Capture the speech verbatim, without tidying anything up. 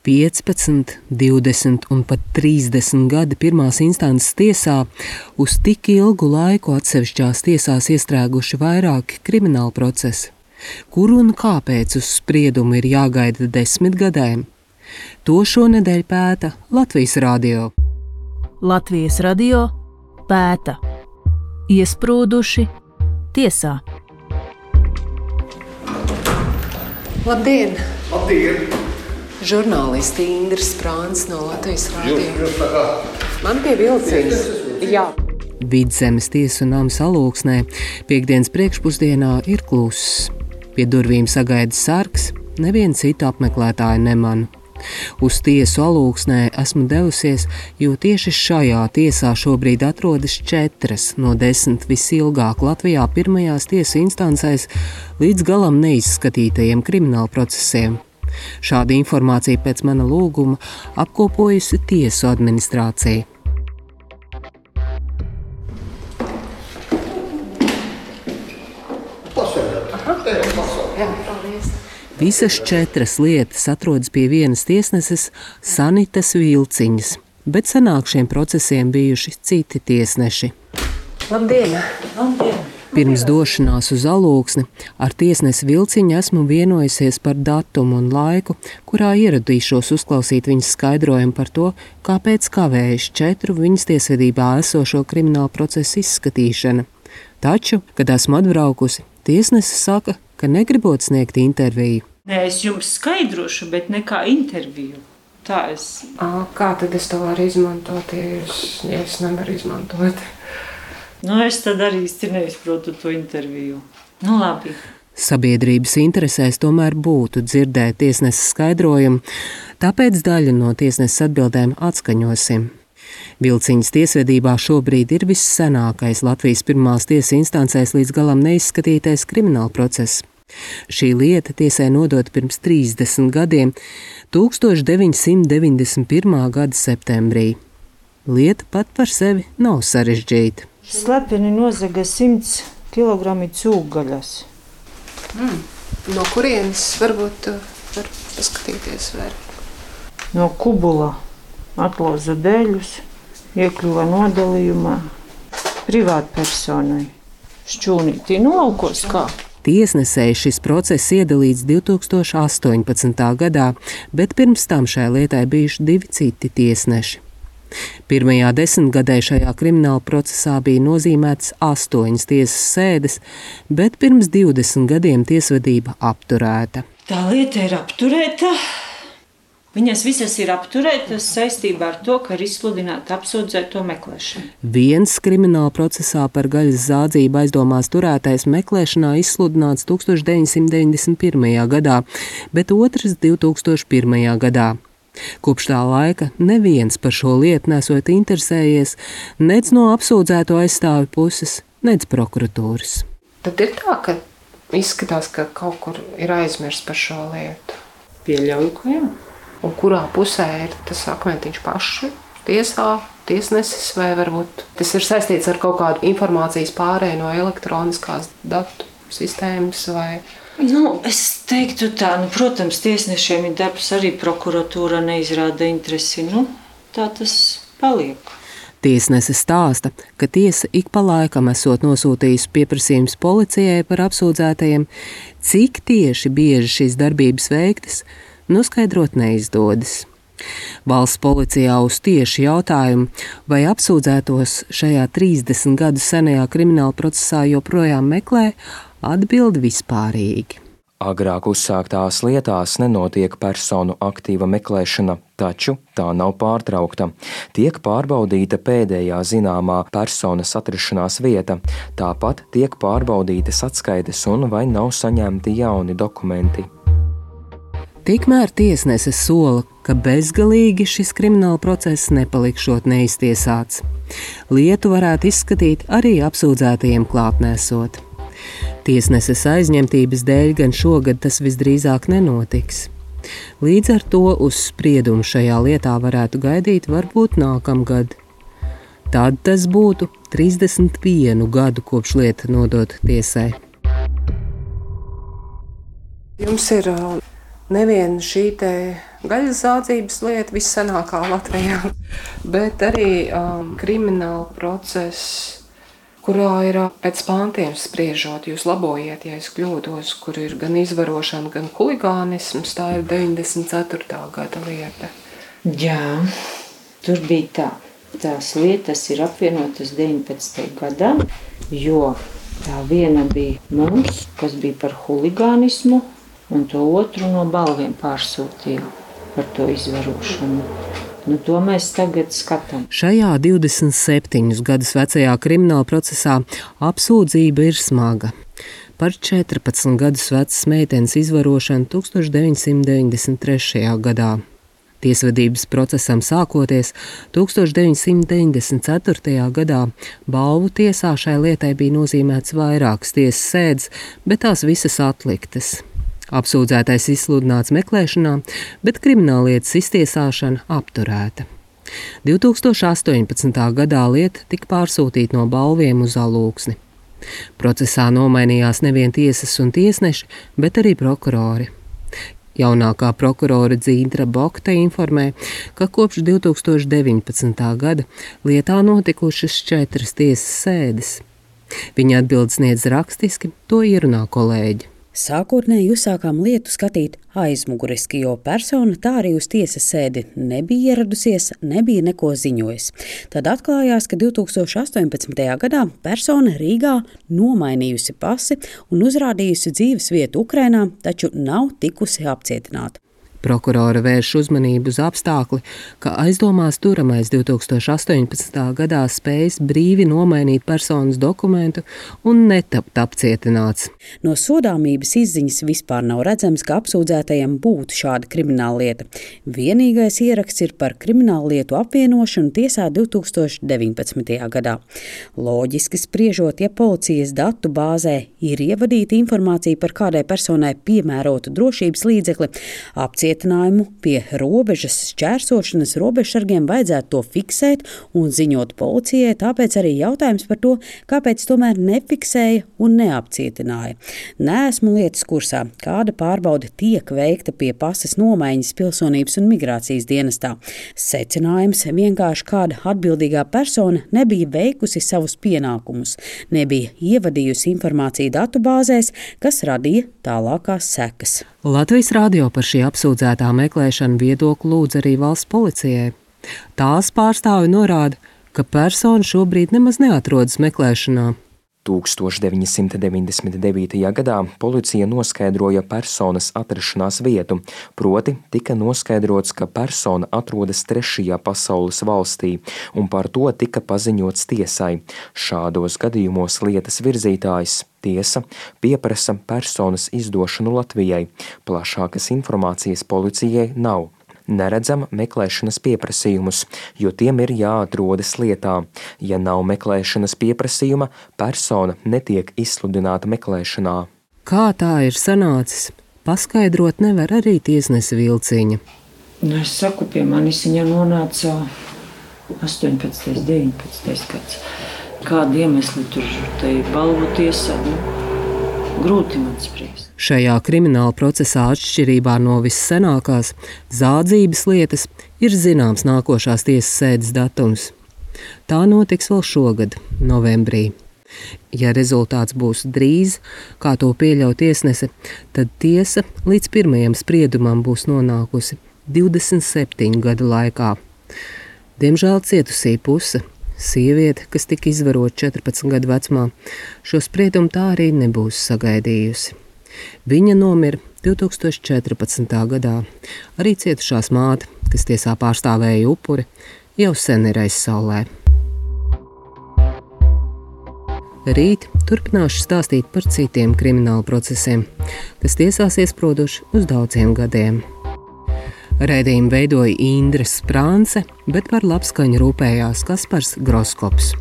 piecpadsmit, divdesmit un pat trīsdesmit gadi pirmās instances tiesā, uz tik ilgu laiku atsevišķās tiesās iestrēguši vairāki krimināli procesi. Kur un kāpēc uz spriedumu ir jāgaida desmit gadiem? To šonedēļ pēta Latvijas radio. Latvijas radio pēta. Iesprūduši tiesā. Labdien! Labdien! Žurnālisti Indra Sprāns no Latvijas radio. Man pie vilciens. Jā. Vidzemes tiesu nams Alūksnē piektdienas priekšpusdienā ir kluss. Pie durvīm sagaida sargs, nevienu citu apmeklētāju nemanu. Uz tiesu Alūksnē esmu devusies, jo tieši šajā tiesā šobrīd atrodas četras no desmit visilgāk Latvijā pirmajās tiesu instancēs līdz galam neizskatītajiem krimināla procesiem. Šādu informāciju pēc mana lūguma apkopojusi tiesu administrācija. Visas četras lietas atrodas pie vienas tiesneses Sanitas Vilciņas, bet senāk šiem procesiem bijuši citi tiesneši. Labdien! Labdien! Pirms došanās uz Alūksni ar tiesnesi Vilciņu esmu vienojusies par datumu un laiku, kurā ieradīšos uzklausīt viņas skaidrojumu par to, kāpēc kavējas četru viņas tiesvedībā esošo kriminālu procesu izskatīšana. Taču, kad esmu atbraukusi, tiesnese saka, ka negribot sniegt interviju. Nē, es jums skaidrošu, bet ne kā interviju. Tā es... À, kā tad es to varu izmantot, ja es, ja es nevaru izmantot? Nu, es tad arī īsti neizprotu to interviju. Nu, labi. Sabiedrības interesēs tomēr būtu dzirdēt tiesneses skaidrojumu, tāpēc daļu no tiesneses atbildēm atskaņosim. Vilciņas tiesvedībā šobrīd ir vissenākais Latvijas pirmās tiesas instancēs līdz galam neizskatītais krimināla process. Šī lieta tiesai nodota pirms trīsdesmit gadiem, tūkstoš deviņsimt deviņdesmit pirmā gada septembrī. Lieta pat par sevi nav sarežģīta. Slepeni nozaga simts kilogrami cūgaļas. Mm. No kurienes varbūt var paskatīties vēl? No Kubula atlauza dēļus, iekļuva nodalījumā privātpersonai. Šķūnītī nolaukos kā? Tiesnesēji šis process iedalīts divtūkstoš astoņpadsmitā gadā, bet pirms tam šai lietai bijuši divi citi tiesneši. Pirmajā desmitgadē šajā krimināla procesā bija nozīmētas astoņas tiesas sēdes, bet pirms divdesmit gadiem tiesvedība apturēta. Tā lieta ir apturēta. Viņas visas ir apturētas saistībā ar to, ka ir izsludināta apsūdzēto meklēšana. Viens krimināla procesā par gaļas zādzību aizdomās turētais meklēšanā izsludināts tūkstoš deviņsimt deviņdesmit pirmajā gadā, bet otrs divtūkstoš pirmajā gadā. Kopš tā laika neviens par šo lietu nesot interesējies, nec no apsūdzēto aizstāvi puses, nec prokuratūras. Tad ir tā, ka izskatās, ka kaut kur ir aizmirsts par šo lietu. Pieļauju, ka jā. Un kurā pusē ir tas akmentiņš paši? Tiesā, tiesnesis vai varbūt tas ir saistīts ar kaut kādu informācijas pārēju no elektroniskās datu sistēmas vai... Nu, es teiktu tā, nu, protams, tiesnešiem ir darbs, arī prokuratūra neizrāda interesi, nu, tā tas paliek. Tiesnese stāsta, ka tiesa ik pa laikam esot nosūtījusi pieprasījums policijai par apsūdzētajiem, cik tieši bieži šīs darbības veiktas, noskaidrot neizdodas. Valsts policijā uz tieši jautājumu, vai apsūdzētos šajā trīsdesmit gadu senajā krimināla procesā joprojām meklē, atbild vispārīgi. Agrāk uzsāktās lietās nenotiek personu aktīva meklēšana, taču tā nav pārtraukta. Tiek pārbaudīta pēdējā zināmā personas atrašanās vieta, tāpat tiek pārbaudītas atskaites un vai nav saņemti jauni dokumenti. Tikmēr tiesnese sola, ka bezgalīgi šis krimināla process nepalikšot neiztiesāts. Lietu varētu izskatīt arī apsūdzētajiem klātnēsot. Tiesneses aizņemtības dēļ gan šogad tas visdrīzāk nenotiks. Līdz ar to uz spriedumu šajā lietā varētu gaidīt varbūt nākamgad. Tad tas būtu trīsdesmit vienu gadu kopš lieta nodota tiesai. Jums ir nevien šī te gaļas zādzības lieta, vissenākā Latvijā, bet arī um, krimināla process, kurā ir pēc pāntiem spriežot, jūs labojiet, ja es kļūdos, kur ir gan izvarošana, gan huligānisms, tā ir deviņdesmit ceturtā gada lieta. Jā, tur bija tā. Tās lietas ir apvienotas deviņpadsmitajā gadā, jo tā viena bija mums, kas bija par huligānismu, un to otru no balviem pārsūtīja par to izvarošanu. Nu, to mēs tagad skatām. Šajā divdesmit septiņus gadus vecajā krimināla procesā apsūdzība ir smaga. Par četrpadsmit gadus vecas meitenes izvarošanu tuksstoš deviņsimt deviņdesmit trešajā gadā. Tiesvedības procesam sākoties tuksstoš deviņsimt deviņdesmit ceturtajā gadā balvu tiesā šai lietai bija nozīmēts vairākas tiesas sēdes, bet tās visas atliktas. Apsūdzētais izsludināts meklēšanā, bet krimināllietas iztiesāšana apturēta. divtūkstoš astoņpadsmitā gadā lieta tika pārsūtīta no balviem uz Alūksni. Procesā nomainījās nevien tiesas un tiesneši, bet arī prokurori. Jaunākā prokurore Dzīndra Bokta informē, ka kopš divtūkstoš deviņpadsmitā gada lietā notikušas četras tiesas sēdes. Viņa atbildes sniedz rakstiski, to ierunā kolēģi. Sākotnēji uzsākām lietu skatīt aizmuguriski, jo persona tā arī uz tiesas sēdi nebija ieradusies, nebija neko ziņojusi. Tad atklājās, ka divtūkstoš astoņpadsmitajā gadā persona Rīgā nomainījusi pasi un uzrādījusi dzīves vietu Ukrainā, taču nav tikusi apcietināta. Prokurora vērš uzmanību uz apstākli, ka aizdomās turamais divtūkstoš astoņpadsmitā gadā spējis brīvi nomainīt personas dokumentu un netapt apcietināts. No sodāmības izziņas vispār nav redzams, ka apsūdzētajam būtu šāda krimināla lieta. Vienīgais ieraksts ir par kriminālu lietu apvienošanu tiesā divtūkstoš deviņpadsmitajā gadā. Loģiski spriežot, ja policijas datu bāzē ir ievadīta informācija par kādai personai piemērotu drošības līdzekli, apcietinājumu pie robežas šķērsošanas robežsargiem vajadzētu to fiksēt un ziņot policijai, tāpēc arī jautājums par to, kāpēc tomēr nefiksēja un neapcietināja. Neesmu lietas kursā, kāda pārbaude tiek veikta pie pasas nomaiņas pilsonības un migrācijas dienestā. Secinājums vienkārši kāda atbildīgā persona nebija veikusi savus pienākumus, nebija ievadījusi informāciju datubāzēs, kas radīja tālākās sekas. Latvijas radio par šī apsūdzētā meklēšanu viedokli lūdz arī valsts policijai. Tās pārstāvi norāda, ka persona šobrīd nemaz neatrodas meklēšanā. tuksstoš deviņsimt deviņdesmit devītajā gadā policija noskaidroja personas atrašanās vietu, proti tika noskaidrots, ka persona atrodas trešajā pasaules valstī, un par to tika paziņots tiesai. Šādos gadījumos lietas virzītājs tiesa pieprasa personas izdošanu Latvijai. Plašākas informācijas policijai nav. Neredzam meklēšanas pieprasījumus, jo tiem ir jāatrodas lietā. Ja nav meklēšanas pieprasījuma, persona netiek izsludināta meklēšanā. Kā tā ir sanācis, paskaidrot nevar arī tiesnese Vilciņa. Nu, es saku, pie manis viņa nonāca astoņpadsmitais, deviņpadsmitais gads. Kādi iemesli tur tai balvu tiesā, nu, grūti man spriest. Šajā krimināla procesā atšķirībā no vissenākās zādzības lietas ir zināms nākošās tiesas sēdes datums. Tā notiks vēl šogad, novembrī. Ja rezultāts būs drīz, kā to pieļauj tiesnese, tad tiesa līdz pirmajam spriedumam būs nonākusi divdesmit septiņu gadu laikā. Diemžēl cietusī puse, sieviete, kas tika izvarota četrpadsmit gadu vecumā, šo spriedumu tā arī nebūs sagaidījusi. Viņa nomira divtūkstoš četrpadsmitā gadā. Arī cietušās māte, kas tiesā pārstāvēja upuri, jau sen ir aizsaulē. Rīt turpināšu stāstīt par citiem krimināla procesiem, kas tiesās iesprūduši uz daudziem gadiem. Raidījumu veidoja Indra Sprānce, bet par labskaņu rūpējās Kaspars Groskops.